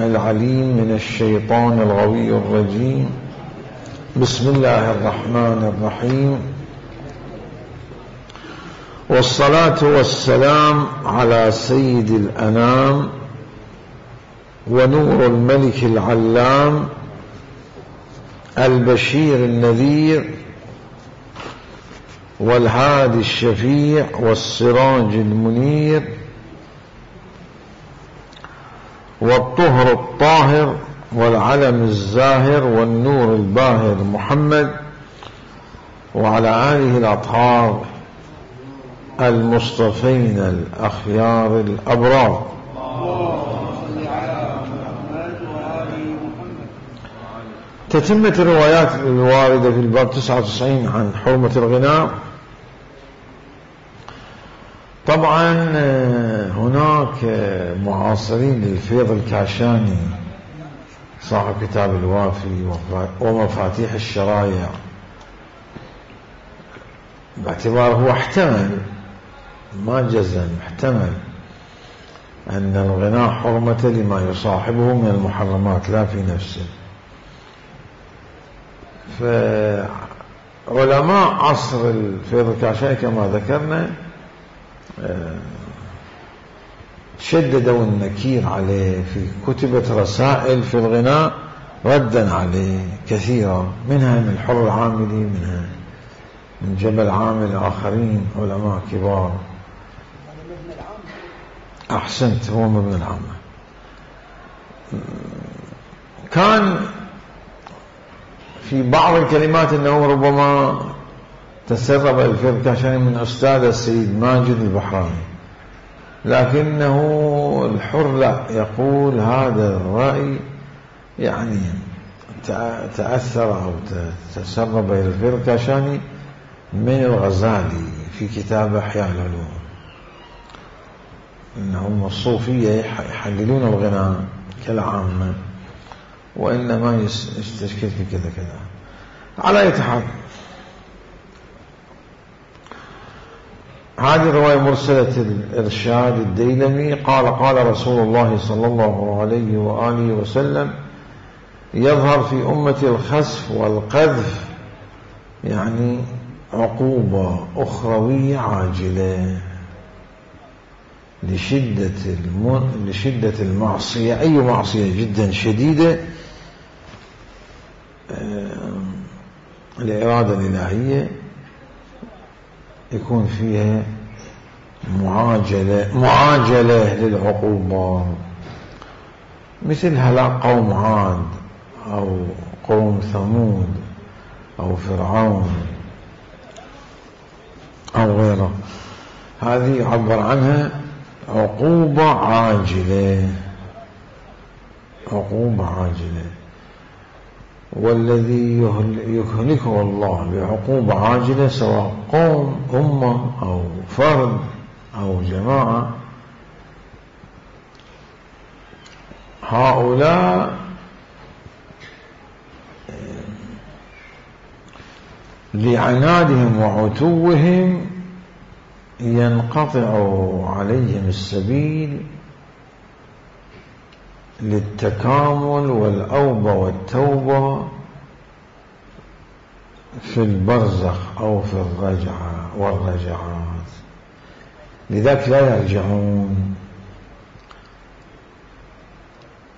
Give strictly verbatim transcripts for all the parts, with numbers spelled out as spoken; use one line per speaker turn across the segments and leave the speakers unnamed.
السميع العليم من الشيطان الغوي الرجيم. بسم الله الرحمن الرحيم، والصلاة والسلام على سيد الأنام ونور الملك العلام البشير النذير والهادي الشفيع والسراج المنير والطهر الطاهر والعلم الزاهر والنور الباهر محمد وعلى آله الأطهار المصطفين الأخيار الأبرار. تتمة الروايات الواردة في الباب تسعة وتسعين عن حرمة الغناء. طبعا هناك معاصرين للفيض الكاشاني صاحب كتاب الوافي ومفاتيح الشرايع، باعتباره هو احتمل ما جزم احتمل أن الغناء حرمة لما يصاحبه من المحرمات لا في نفسه. فعلماء عصر الفيض الكاشاني كما ذكرنا شددوا النكير عليه في كتبت رسائل في الغناء ردا عليه كثيرا، منها من الحر العاملي، منها من جبل عامل، آخرين علماء كبار. أحسنت، هو مبنى العامة. كان في بعض الكلمات أنه ربما تسرب الفيض الكاشاني من أستاذ السيد ماجد البحراني، لكنه الحر لا يقول هذا الرأي يعني تأثر أو تسرب إلى الفيض الكاشاني من الغزالي في كتاب إحياء العلوم، إنهم الصوفية يحللون الغناء كالعامة وإنما يستشكل في كذا كذا. على أي حال هذه الرواية مرسلة الإرشاد الديلمي قال قال رسول الله صلى الله عليه وآله وسلم: يظهر في أمتي الخسف والقذف، يعني عقوبة أخروية عاجلة لشدة الم... لشدة المعصية، أي معصية جدا شديدة الإرادة الإلهية يكون فيها معاجلة معاجلة للعقوبة، مثل هلاك قوم عاد أو قوم ثمود أو فرعون أو غيره. هذه يعبر عنها عقوبة عاجلة، عقوبة عاجلة. والذي يهلكه الله بعقوبة عاجلة سواء قوم أمة أو فرد أو جماعة، هؤلاء لعنادهم وعتوهم ينقطع عليهم السبيل للتكامل والأوبة والتوبة في البرزخ أو في الرجعة والرجعات، لذلك لا يرجعون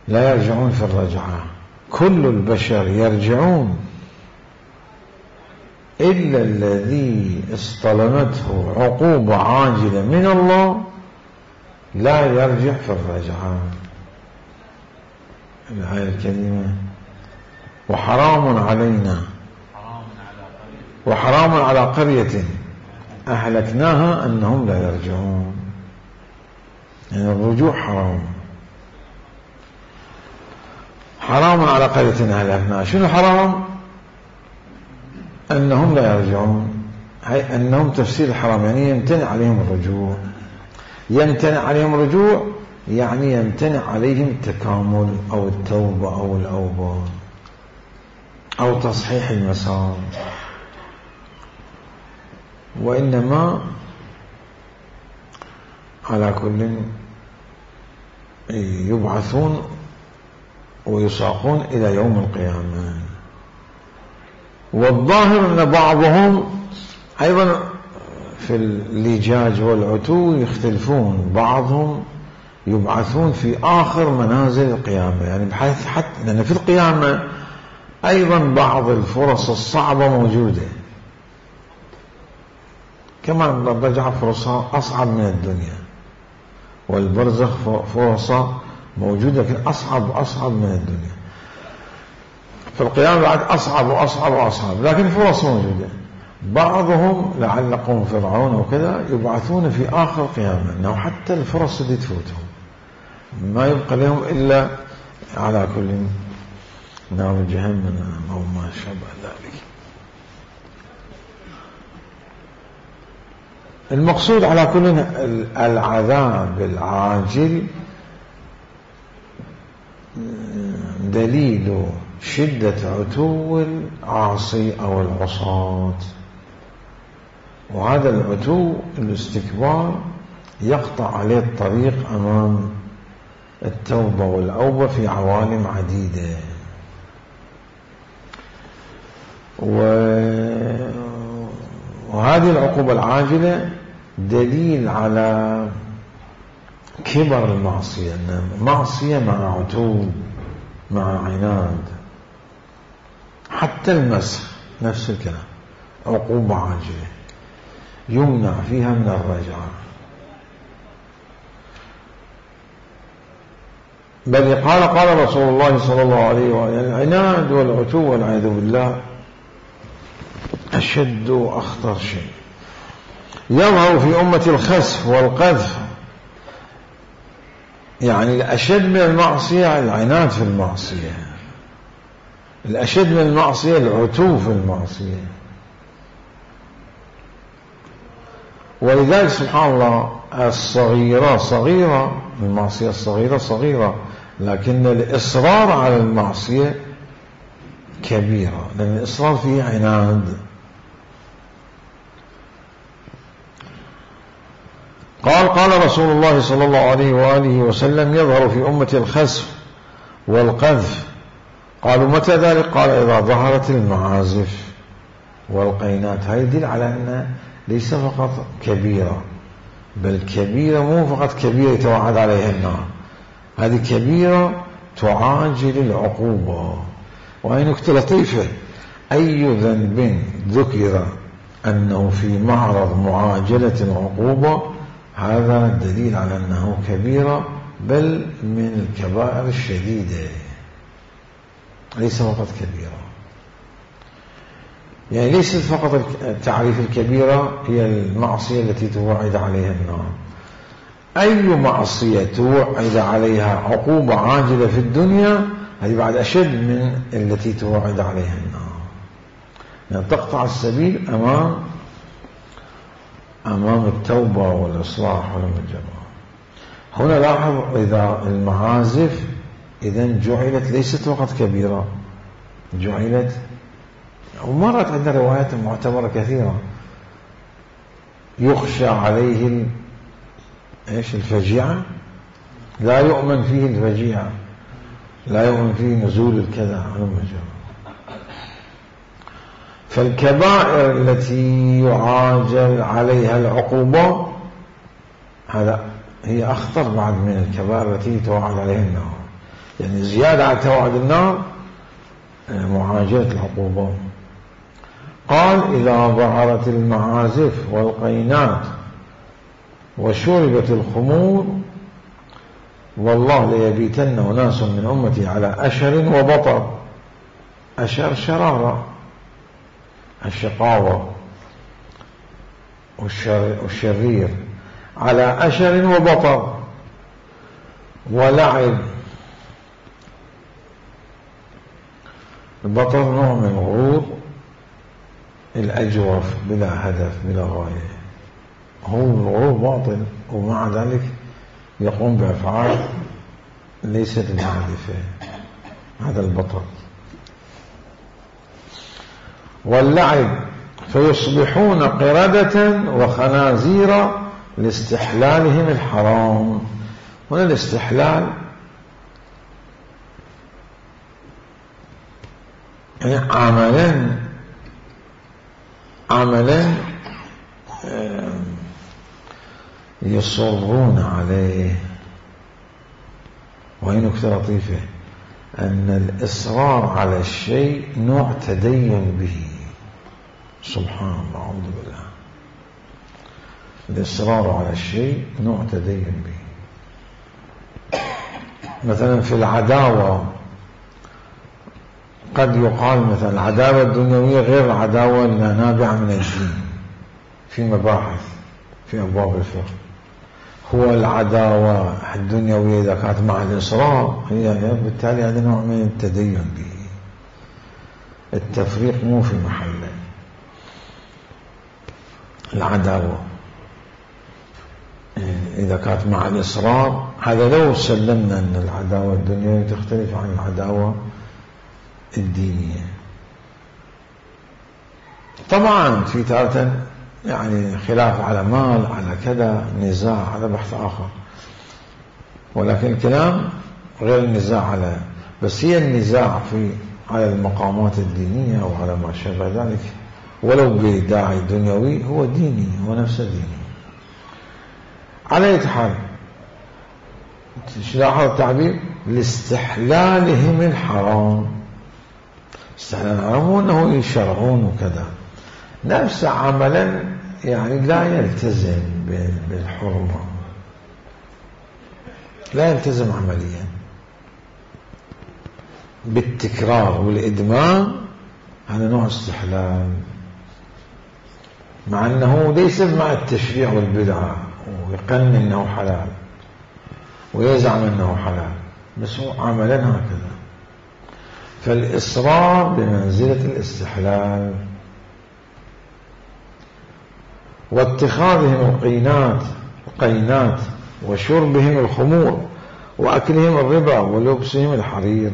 لا يرجعون في الرجعة. كل البشر يرجعون إلا الذي اصطلمته عقوبة عاجلة من الله لا يرجع في الرجعة. الآية الكريمة: وحرام علينا وحرام على قرية أهلكناها أنهم لا يرجعون، يعني الرجوع حرام. حرام على قرية أهلكناها، شنو حرام؟ أنهم لا يرجعون، هي أنهم تفسير الحرام يعني يمتنع عليهم الرجوع. يمتنع عليهم الرجوع يعني يمتنع عليهم التكامل أو التوبة أو الأوبة أو تصحيح المسار. وإنما على كل يبعثون ويساقون إلى يوم القيامة. والظاهر أن بعضهم أيضا في اللجاج والعتو يختلفون، بعضهم يبعثون في آخر منازل القيامة، يعني بحيث حتى لأن في القيامة أيضا بعض الفرص الصعبة موجودة، كما الرجعة فرصها أصعب من الدنيا، والبرزخ فرصة موجودة لكن أصعب أصعب من الدنيا. في القيامة بعد أصعب وأصعب وأصعب، لكن فرص موجودة. بعضهم لعل قوم فرعون وكذا يبعثون في آخر قيامة، أنه حتى الفرص اللي تفوتهم ما يبقى لهم إلا على كل نار جهنم أو ما شابه ذلك. المقصود على كل العذاب العاجل دليل شدة عتو العاصي أو العصاة، وهذا العتو الاستكبار يقطع عليه الطريق أمام التوبة والأوبة في عوالم عديدة. وهذه العقوبة العاجلة دليل على كبر المعصية، أن معصية مع عتو مع عناد. حتى المسخ نفس الكلام عقوبة عاجلة يمنع فيها من الرجعة. بل قال قال رسول الله صلى الله عليه وسلم: العناد والعتو والعياذ بالله أشد وأخطر شيء. يظهر في أمة الخسف والقذف، يعني الأشد من المعصية العناد في المعصية، الأشد من المعصية العتو في المعصية. ولذلك سبحان الله الصغيرة صغيرة، المعصية الصغيرة صغيرة، لكن الإصرار على المعصية كبيرة، لأن الإصرار فيه عناد. قال قال رسول الله صلى الله عليه وآله وسلم: يظهر في أمة الخسف والقذف. قالوا: متى ذلك؟ قال: إذا ظهرت المعازف والقينات. هذا يدل على أن ليس فقط كبيرة، بل كبيرة مو فقط كبيرة يتوعد عليها النار، هذه كبيرة تعاجل العقوبة. وهي نكتة لطيفة: أي ذنب ذكر أنه في معرض معاجلة العقوبة هذا دليل على أنه كبيرة، بل من الكبائر الشديدة، ليس فقط كبيرة. يعني ليست فقط تعريف الكبيرة هي المعصية التي توعد عليها النار، أي معصية توعد عليها عقوبة عاجلة في الدنيا هذه بعد أشد من التي توعد عليها النار، يعني تقطع السبيل أمام أمام التوبة والإصلاح والمجمع. هنا لاحظ إذا المعازف إذن جعلت ليست فقط كبيرة، جعلت، ومرت عندنا روايات معتبرة كثيرة، يخشى عليه ايش الفجيعة، لا يؤمن فيه الفجيعة، لا يؤمن فيه نزول الكذا والمجمع. فالكبائر التي يعاجل عليها العقوبة هذا هي أخطر بعد من الكبائر التي توعد عليها النار، يعني زيادة على توعد النار معاجلة العقوبة. قال: إذا ظهرت المعازف والقينات وشربت الخمور والله ليبيتن ناس من أمتي على أشر وبطر. أشر شرارة، الشقاوة والشرير، على أشر وبطر ولعب. البطر نوع من الغرور الأجوف بلا هدف بلا غاية، هو الغرور باطل ومع ذلك يقوم بأفعال ليست بهادفة، هذا البطر. واللعب فيصبحون قردة وخنازير لاستحلالهم الحرام. هنا الاستحلال يعني عملا عملا يصرون عليه. وهي نكتة لطيفة، أن الإصرار على الشيء نوع تدين به. سبحان الله، أعوذ بالله. الإصرار على الشيء نوع تدين به. مثلا في العداوة قد يقال مثلا العداوة الدنيوية غير العداوة النابعة من الدين في مباحث في أبواب الفقه. هو العداوة الدنيوية إذا كانت مع الإصرار هي بالتالي هذا نوع من التدين به. التفريق مو في محله. العداوة إذا كانت مع الإصرار، هذا لو سلمنا أن العداوة الدنيوية تختلف عن العداوة الدينية. طبعا في تارة يعني خلاف على مال، على كذا، نزاع، على بحث آخر، ولكن الكلام غير النزاع على، بس هي النزاع في على المقامات الدينية وعلى ما شابه ذلك ولو بداعي دنيوي هو ديني، هو نفسه ديني. على أي حال لاحظ التعبير لاستحلالهم الحرام. استحلال الحرام هو أنه يشرعون وكذا، نفس عملا يعني لا يلتزم بالحرمة، لا يلتزم عمليا بالتكرار والإدمان. هذا نوع استحلال، مع أنه ليس مع التشريع والبدعة ويقنن أنه حلال ويزعم أنه حلال، بس هو عملا هكذا. فالإصرار بمنزلة الاستحلال. واتخاذهم القينات القينات وشربهم الخمور وأكلهم الربا ولبسهم الحرير.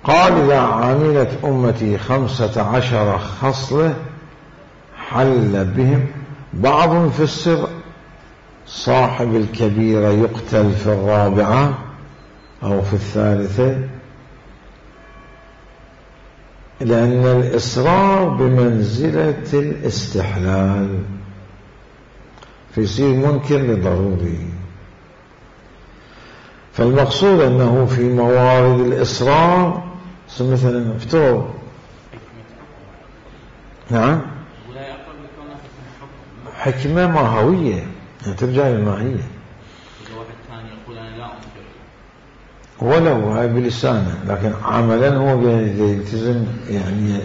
قال إذا عملت أمتي خمسة عشر خصلة حل بهم بعض في السر، صاحب الكبيرة يقتل في الرابعة أو في الثالثة، لأن الإصرار بمنزلة الاستحلال فيصير منكر لضروري. فالمقصود أنه في موارد الإصرار مثلا افترض نعم حكمة ماهوية يعني ترجع للماهية، ولو هاي بلسانه لكن عملا هو يلتزم يعني.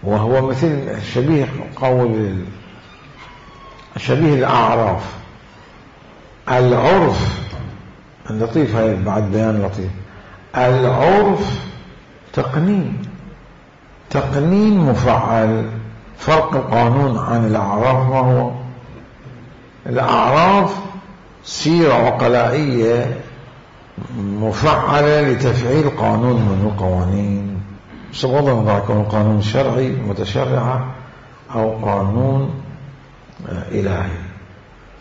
وهو مثل شبيه قول شبيه الأعراف. العرف اللطيف، هاي بعد بيان لطيف، العرف تقنين تقنين مفعل. فرق القانون عن الأعراف ما هو؟ الأعراف سيرة عقلائية مفعلة لتفعيل قانون من القوانين، بغض النظر يكون قانون شرعي متشرعة أو قانون إلهي.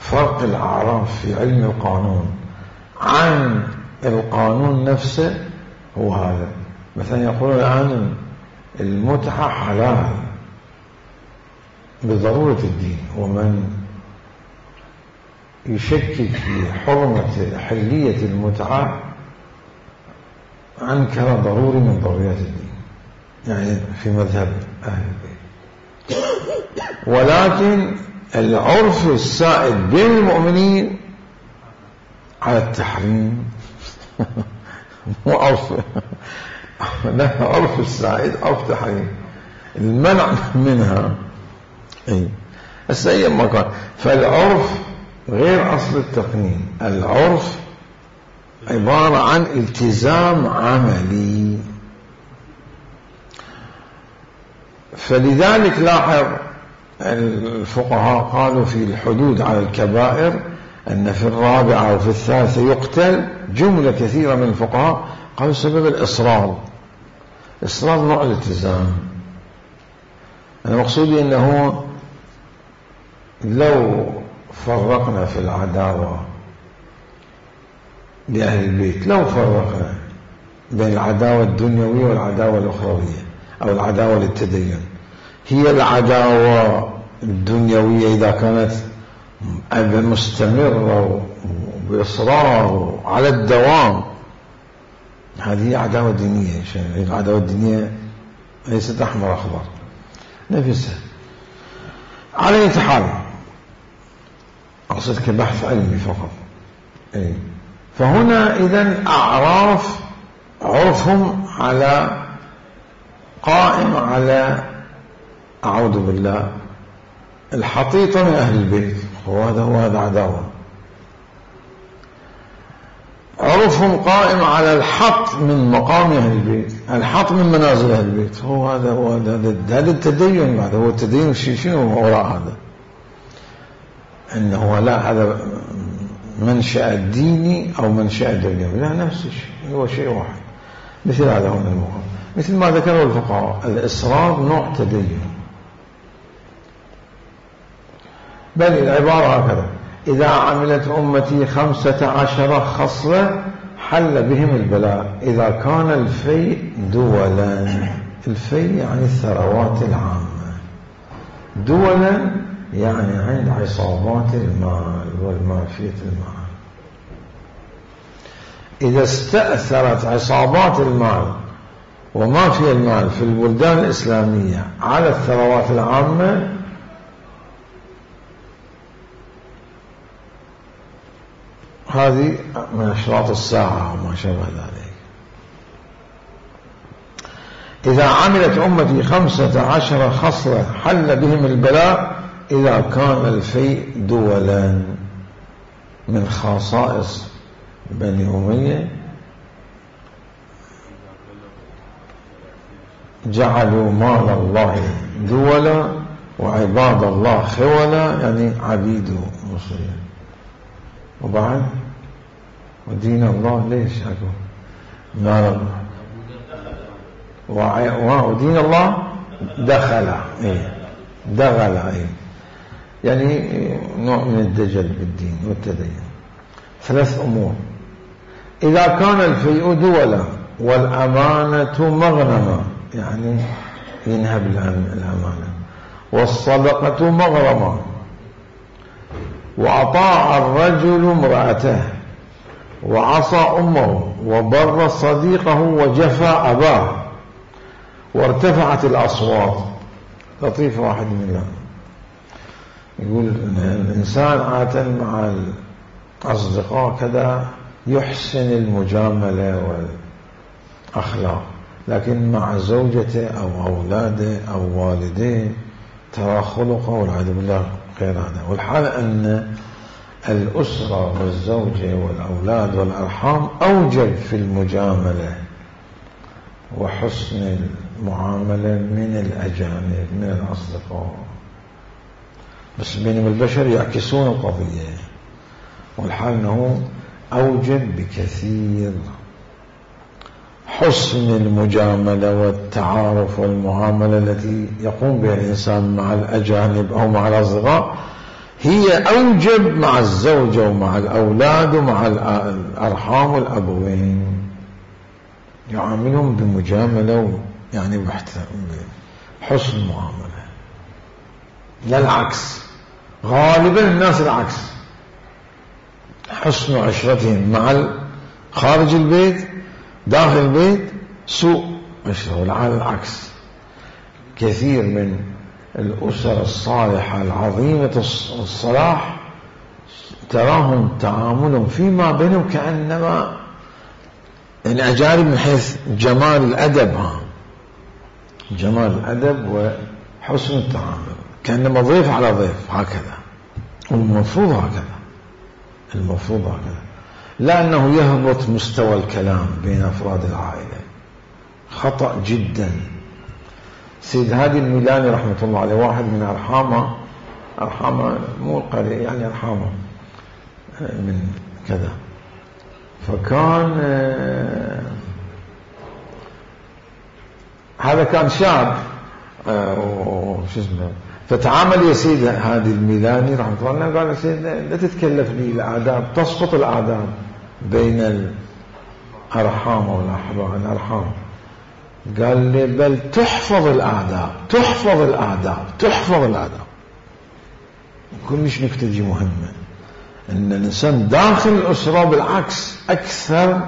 فرق الأعراف في علم القانون عن القانون نفسه هو هذا. مثلا يقولون الآن المتعة حلال بضرورة الدين، ومن يشكك في حرمة حلية المتعة أنكر ضروري من ضروريات الدين، يعني في مذهب أهل البيت. ولكن العرف السائد بين المؤمنين على التحريم مو عرف لا، عرف السائد عرف تحريم، المنع منها. اي هسه اي مكان. فالعرف غير أصل التقنين، العرف عبارة عن التزام عملي. فلذلك لاحظ الفقهاء قالوا في الحدود على الكبائر أن في الرابعة وفي الثالثة يقتل. جملة كثيرة من الفقهاء قالوا سبب الإصرار. إصرار نوع الالتزام. أنا مقصودي أنه لو فرقنا في العداوة لأهل البيت، لو فرقنا بين العداوة الدنيوية والعداوة الأخروية أو العداوة للتدين، هي العداوة الدنيوية إذا كانت مستمرة وبإصرار على الدوام، هذه عداوة دينية. العداوة الدينية ليست أحمر أخضر نفسها. على أي حال أقصد كبحث علمي فقط. أي. فهنا إذن أعراف عرفهم على قائم على أعوذ بالله الحطيطة من أهل البيت، وهذا هو هذا عداوة. عرفهم قائم على الحط من مقام أهل البيت، الحط من منازل أهل البيت، هو هذا هو هذا هذا التدين. بعد هو التدين شنو وراء هذا؟ إنه لا هذا منشأ ديني أو منشأ دنيوي، لا نفس الشيء، هو شيء واحد. مثل هذا هو المقام، مثل ما ذكره الفقهاء الإصرار نوع تدين، بل العبارة هكذا: إذا عملت أمتي خمسة عشر خصلة حل بهم البلاء إذا كان الفيء دولا. الفيء يعني الثروات العامة، دولا يعني عند عصابات المال والمافية المال. إذا استأثرت عصابات المال ومافية المال في البلدان الإسلامية على الثروات العامة، هذه من أشراط الساعة وما شابه ذلك. إذا عملت أمتي خمسة عشر خصلة حل بهم البلاء إذا كان الفيء دولا. من خصائص بني أمية جعلوا مال الله دولا وعباد الله خولا، يعني عبيد مصريين. وبعد ودين الله ليش أقول مال ودين الله دخل إيه دخل إيه يعني نوع من الدجل بالدين والتدين. ثلاث أمور: إذا كان الفيء دولا والأمانة مغنمة، يعني ينهب الأمانة، والصدقة مغرمة، وأطاع الرجل امرأته وعصى أمه وبر صديقه وجفى أباه، وارتفعت الأصوات. لطيف واحد من الله يقول الإنسان عادة مع الأصدقاء كذا يحسن المجاملة والأخلاق، لكن مع زوجته أو أولاده أو والديه ترى خلقه والعياذ بالله غير هذا. والحال أن الأسرة والزوجة والأولاد والأرحام أوجب في المجاملة وحسن المعاملة من الأجانب من الأصدقاء، بس بينما البشر يعكسون القضية. والحال أنه أوجب بكثير حسن المجاملة والتعارف والمعاملة التي يقوم بها الإنسان مع الأجانب أو مع الأصدقاء، هي أوجب مع الزوجة ومع الأولاد ومع الأرحام والأبوين، يعاملهم بمجاملة يعني بحسن معاملة، لا العكس. غالبا الناس العكس، حسن عشرتهم مع خارج البيت داخل البيت سوء عشرة، والعكس العكس. كثير من الأسر الصالحة العظيمة الصلاح تراهم تعاملهم فيما بينهم كأنما الأجانب من حيث جمال الأدب، ها جمال الأدب وحسن التعامل، كأنما ضيف على ضيف هكذا. والمفروض هكذا، المفروض هكذا، لا أنه يهبط مستوى الكلام بين أفراد العائلة، خطأ جدا. سيد هادي الميلاني رحمة الله عليه واحد من أرحامه، أرحامه مو القرية يعني أرحامه من كذا، فكان هذا كان شاب وش اسمه فتعامل يا سيدي هذه الميلاني رحمه الله قال يا سيدي لا تتكلفني الآداب، تسقط الآداب بين الأرحام والأحباب الأرحام. قال لي بل تحفظ الآداب، تحفظ الآداب، تحفظ الآداب. كلش نكتة دي مهمة، أن الإنسان داخل الأسرة بالعكس أكثر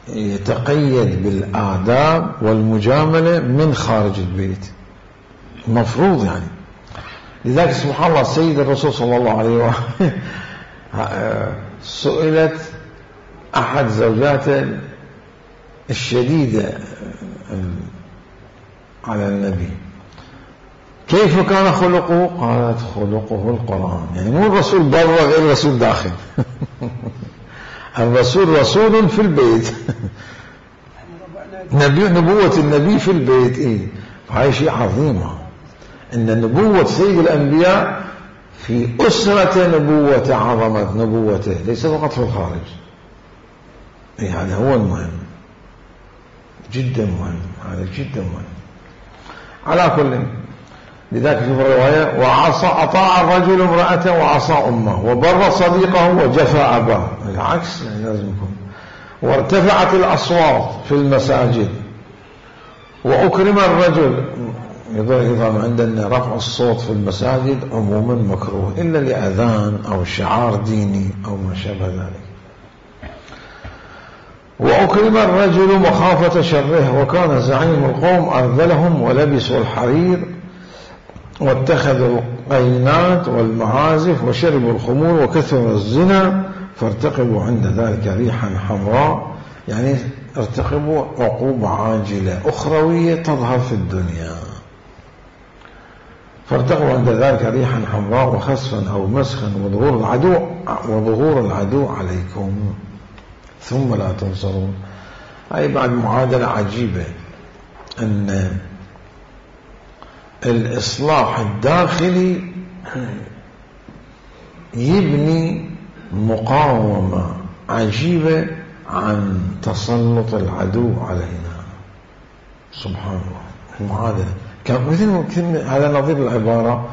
يتقيد بالآداب والمجاملة من خارج البيت، المفروض يعني. لذلك سبحان الله سيد الرسول صلى الله عليه وسلم سئلت أحد زوجاته الشديدة على النبي كيف كان خلقه؟ قالت خلقه القرآن. يعني مو الرسول برا غير الرسول داخل الرسول رسول في البيت نبي نبوة النبي في البيت. إيه فهي شيء عظيمة إن نبوة سيد الأنبياء في أسرة نبوة عظمت نبوته، ليس فقط في الخارج. إيه هذا هو المهم، جدا مهم، هذا جدا مهم. على كل، لذلك في الرواية وعصى أطاع الرجل امرأته وعصى أمه وبر صديقه وجفى أباه، العكس يعني لازم يكون. وارتفعت الأصوات في المساجد وأكرم الرجل. يظهر عندنا رفع الصوت في المساجد عموما مكروه إلا لأذان أو شعار ديني أو ما شابه ذلك. وأكرم الرجل مخافة شره وكان زعيم القوم أرذلهم ولبسوا الحرير واتخذوا القينات والمعازف وشربوا الخمور وكثر الزنا فارتقبوا عند ذلك ريحا حمراء. يعني ارتقبوا عقوبة عاجلة أخروية تظهر في الدنيا. فارتقبوا عند ذلك ريحا حمراء وخسفا أو مسخا وظهور العدو وظهور العدو عليكم ثم لا تنصرون. هاي بعد معادلة عجيبة أن الإصلاح الداخلي يبني مقاومة عجيبة عن تسلط العدو علينا. سبحان الله المعادلة مثل هذا نظير العبارة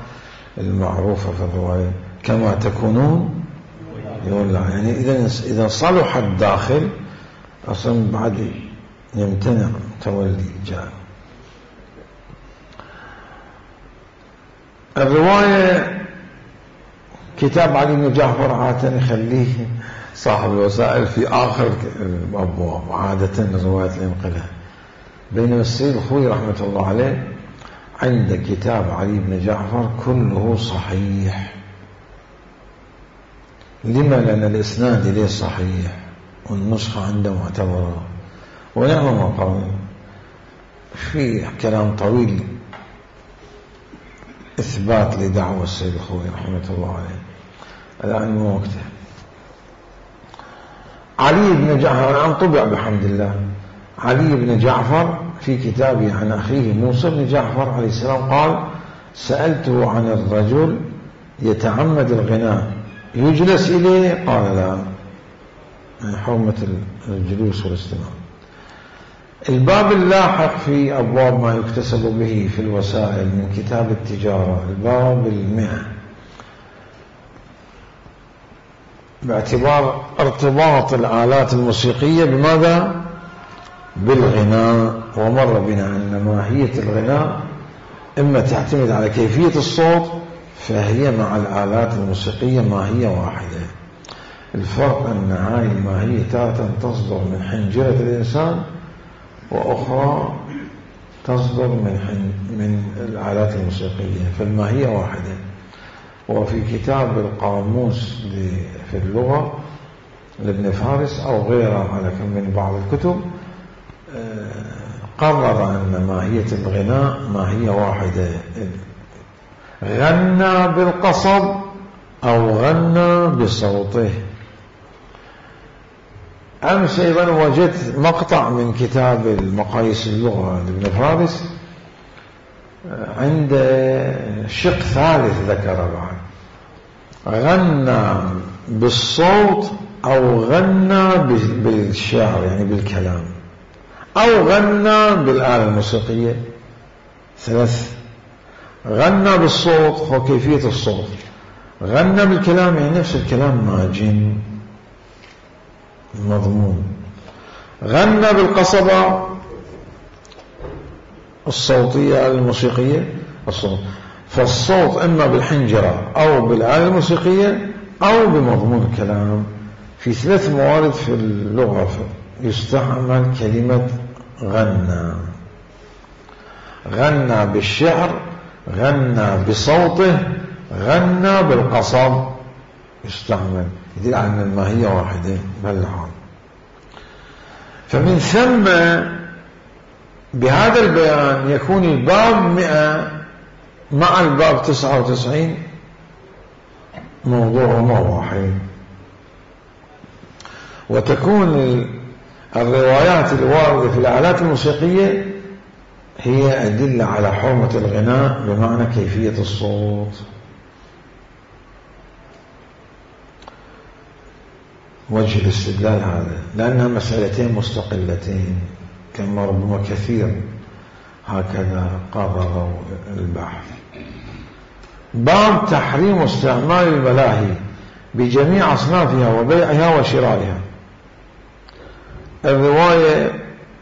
المعروفة في الرواية كما تكونون يولع. يعني إذا إذا صلح الداخل أصلا بعد يمتنع تولي جاء. الرواية كتاب علي بن جعفر عادة يخليه صاحب الوسائل في آخر الأبواب عادة رواية الانقلاب، بينما السيد الخوي رحمة الله عليه عند كتاب علي بن جعفر كله صحيح. لما؟ لأن الإسناد إليه صحيح والنسخة عنده معتبرة ونعم ما قال. في كلام طويل إثبات لدعوة السيد الخوي رحمة الله عليه، الآن مو وقته. علي بن جعفر عن طبع بحمد الله. علي بن جعفر في كتابه عن أخيه موسى بن جعفر عليه السلام قال سألته عن الرجل يتعمد الغناء يجلس إليه؟ قال لا، حرمة الجلوس والاستماع. الباب اللاحق في أبواب ما يكتسب به في الوسائل من كتاب التجارة الباب المئة باعتبار ارتباط الآلات الموسيقية بماذا؟ بالغناء. ومر بنا أن ماهية الغناء إما تعتمد على كيفية الصوت فهي مع الآلات الموسيقية ماهية واحدة. الفرق أن هاي الماهية تارة تصدر من حنجرة الإنسان وأخرى تصدر من من الآلات الموسيقية، فالماهية واحدة. وفي كتاب القاموس في اللغة لابن فارس أو غيره على كم من بعض الكتب قرر أن ماهية الغناء ماهية واحدة، غنى بالقصب أو غنى بصوته. أمس أيضا وجدت مقطع من كتاب المقاييس اللغة لابن فارس عند شق ثالث ذكر بعد غنى بالصوت أو غنى بالشعر يعني بالكلام أو غنى بالآلة الموسيقية. ثلاث غنى بالصوت هو كيفية الصوت، غنى بالكلام يعني نفس الكلام ماجن مضمون، غنى بالقصبة الصوتية الموسيقية الصوت، فالصوت إما بالحنجرة أو بالآلة الموسيقية أو بمضمون الكلام. في ثلاث موارد في اللغة يستعمل كلمة غنى: غنى بالشعر، غنى بصوته، غنى بالقصب، يستعمل يدل على أن الماهية واحدة بهالحال. فمن ثم بهذا البيان يكون الباب مئة مع الباب تسعة وتسعين موضوعهما واحد، وتكون الروايات الواردة في الآلات الموسيقية هي أدلة على حرمة الغناء بمعنى كيفية الصوت. وجه الاستدلال هذا لأنها مسألتين مستقلتين كما ربما كثير هكذا قرروا البحث. باب تحريم استعمال الملاهي بجميع أصنافها وبيعها وشرائها. الرواية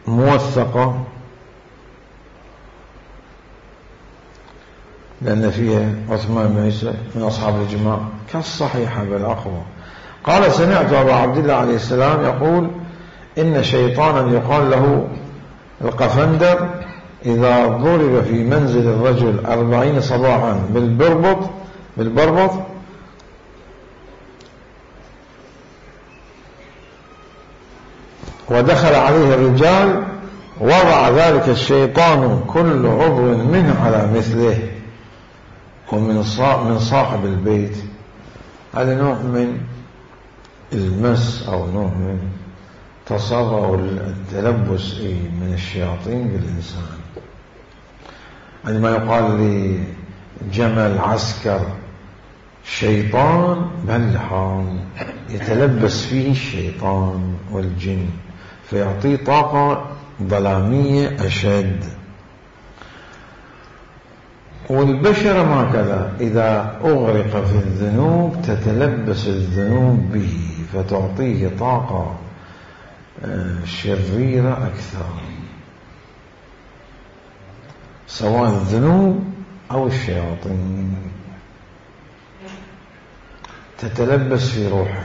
موثقة لأن فيها عثمان بن عيسى من أصحاب الإجماع كالصحيحة بالأقوى. قال: سمعت أبا عبد الله عليه السلام يقول: إن شيطانا يقال له القفندر إذا ضرب في منزل الرجل أربعين صباحا بالبربط بالبربط ودخل عليه الرجال وضع ذلك الشيطان كل عضو منه على مثله ومن من صاحب البيت. هذا نوع من المس أو نوع من تصرف التلبس من الشياطين بالإنسان. عندما يقال لجمل عسكر شيطان بهالحال يتلبس فيه الشيطان والجن فيعطيه طاقة ظلامية أشد. والبشر ما كذا، إذا أغرق في الذنوب تتلبس الذنوب به فتعطيه طاقة شريرة أكثر، سواء الذنوب أو الشياطين تتلبس في روحه.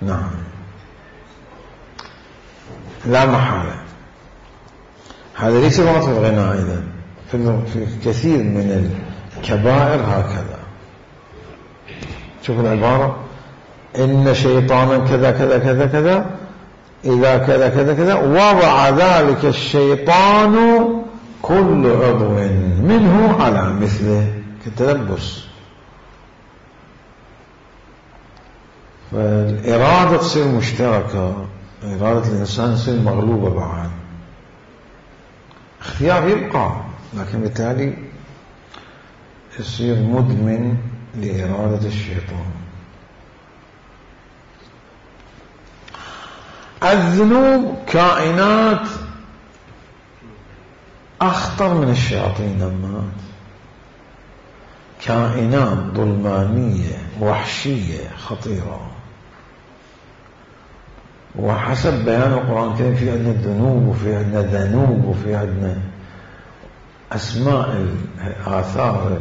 نعم لا محالة هذا ليس فقط في الغناء، أيضا في كثير من الكبائر هكذا. شوف العبارة: إن شيطانا كذا كذا كذا كذا إذا كذا كذا كذا وضع ذلك الشيطان كل عضو منه على مثله كالتلبس. فالإرادة تصير مشتركة، إرادة الإنسان تصير مغلوبة بعد. اختيار يبقى لكن بالتالي يصير مدمن لإرادة الشيطان. الذنوب كائنات أخطر من الشياطين، لما كائنات ظلمانية وحشية خطيرة. وحسب بيان القرآن الكريم في عندنا الذنوب وفي عندنا ذنوب وفي عندنا أسماء الآثار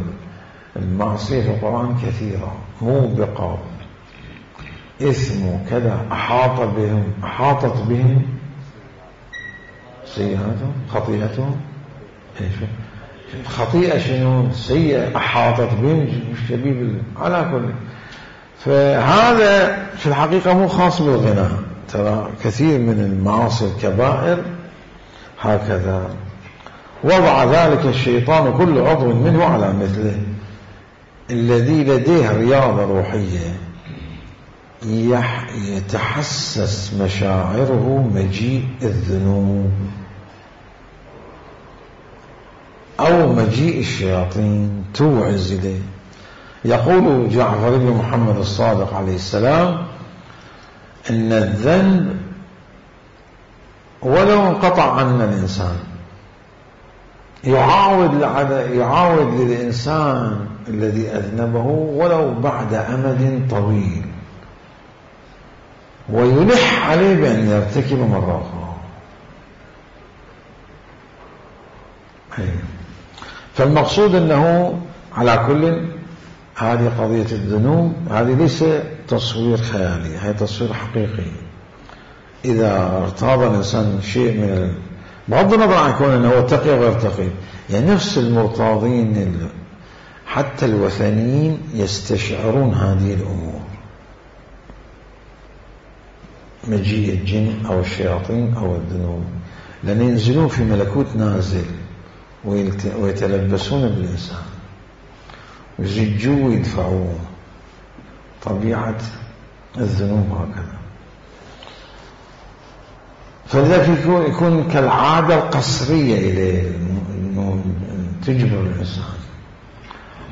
المعصية في القرآن كثيرة موبقة، إثم كذا، أحاط بهم أحاطت بهم سيئاتهم خطيئتهم. خطيئة شنو؟ سيئة أحاطت بهم شبيب على كل. فهذا في الحقيقة مو خاص بالغناء، ترى كثير من المعاصي الكبائر هكذا. وضع ذلك الشيطان كل عضو منه على مثله. الذي لديه رياضة روحية يتحسس مشاعره مجيء الذنوب أو مجيء الشياطين توعز إليه. يقول جعفر بن محمد الصادق عليه السلام إن الذنب ولو انقطع عنا الإنسان يعاود يعاود للإنسان الذي أذنبه ولو بعد أمد طويل، ويلح عليه بأن يرتكب مرة أخرى. فالمقصود أنه على كل هذه قضية الذنوب هذه ليس تصوير خيالي، هي تصوير حقيقي. إذا ارتاض الإنسان شيء من بغض النظر عن كون أنه تقي وغير تقي، يعني نفس المرتاضين حتى الوثنيين يستشعرون هذه الأمور، مجيء الجن أو الشياطين أو الذنوب، لأن ينزلون في ملكوت نازل ويتلبسون بالإنسان ويزجوه ويدفعوه. طبيعة الذنوب هكذا. فلذلك يكون, يكون كالعادة القصرية إليه تجبر الإنسان.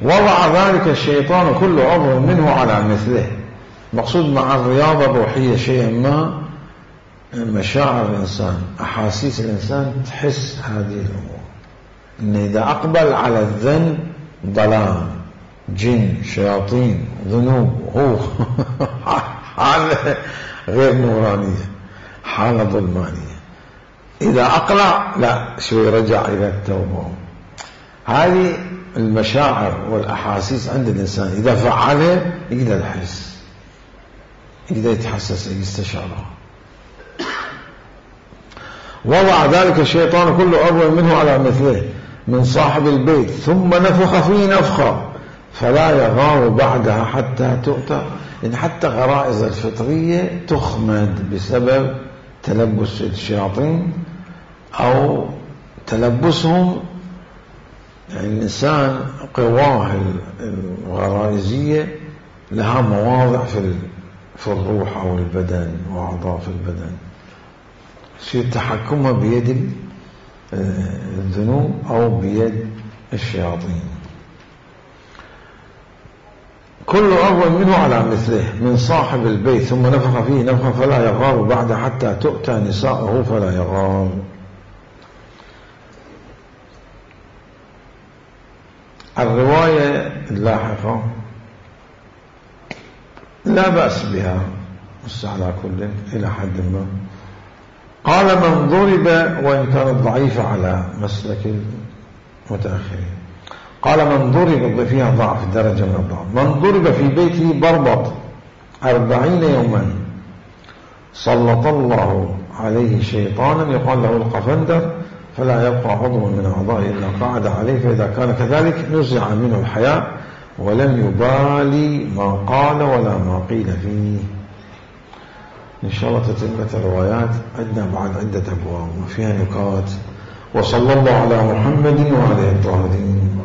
وضع ذلك الشيطان كل عضو منه على مثله. مقصود مع الرياضة الروحية شيئا ما مشاعر الإنسان، أحاسيس الإنسان تحس هذه الأمور، إن إذا أقبل على الذنب ضلال، جن، شياطين، ذنوب، هو حالة غير نورانية، حالة ظلمانية. إذا أقلع لا شوي رجع إلى التوبة. هذه المشاعر والأحاسيس عند الإنسان إذا فعلها يقدر يحس، يقدر يتحسس، يستشعرها. وضع ذلك الشيطان كل عضو منه على مثله من صاحب البيت ثم نفخ فيه نفخة فلا يغار بعدها حتى تؤتى. يعني حتى غرائز الفطرية تخمد بسبب تلبس الشياطين أو تلبسهم. يعني الإنسان قواه الغرائزية لها مواضع في في الروح أو البدن وأعضاء في البدن، يصير تحكمها بيد الذنوب أو بيد الشياطين. كل عضو منه على مثله من صاحب البيت ثم نفخ فيه نفخا فلا يغار بعد حتى تؤتى نساءه فلا يغار. الرواية اللاحقة لا بأس بها بس على كل إلى حد ما. قال من ضرب، وإن كانت ضعيفة على مسلك المتأخرين، قال من ضرب فيها ضعف درجة من الضعف. من ضرب في بيته بربط أربعين يوما سلط الله عليه شيطانا يقال له القفندر فلا يبقى عضو من أعضائه إلا قعد عليه، فإذا كان كذلك نزع منه الحياء ولم يبالي ما قال ولا ما قيل فيه. إن شاء الله تتمة الروايات عندنا بعد عدة أبواب وفيها نكات. وصلى الله على محمد وعلى آله الطاهرين.